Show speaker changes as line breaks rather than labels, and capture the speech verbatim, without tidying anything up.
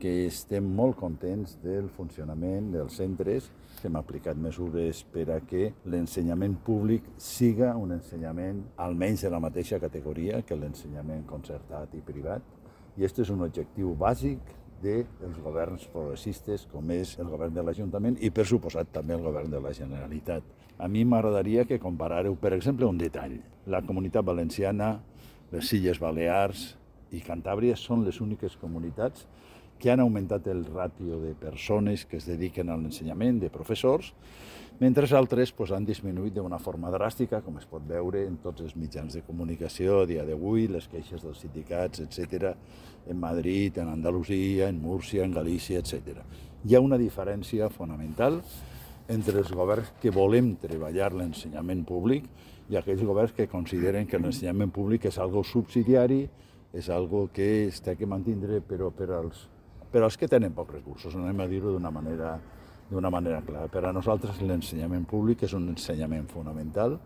que estem molt contents del funcionament dels centres, que hem aplicat mesures per a que l'ensenyament públic siga un ensenyament almenys de la mateixa categoria que l'ensenyament concertat i privat. I aquest és un objectiu bàsic dels governs progressistes, com és el govern de l'Ajuntament i, per suposat, també el govern de la Generalitat. A mi m'agradaria que comparàreu, per exemple, un detall. La Comunitat Valenciana, les Illes Balears i Cantàbria són les úniques comunitats que han augmentat el ràtio de persones que es dediquen a l'ensenyament, de professors, mentre altres pues, han disminuït d'una forma dràstica, com es pot veure en tots els mitjans de comunicació a dia d'avui, les queixes dels sindicats, etcètera, en Madrid, en Andalusia, en Múrcia, en Galícia, etcètera. Hi ha una diferència fonamental entre els governs que volem treballar l'ensenyament públic i aquells governs que consideren que l'ensenyament públic és algo subsidiari, és algo que s'ha de mantindre però per als per als que tenen pocs recursos, anem a dir-ho d'una manera, d'una manera clara. Per a nosaltres l'ensenyament públic és un ensenyament fonamental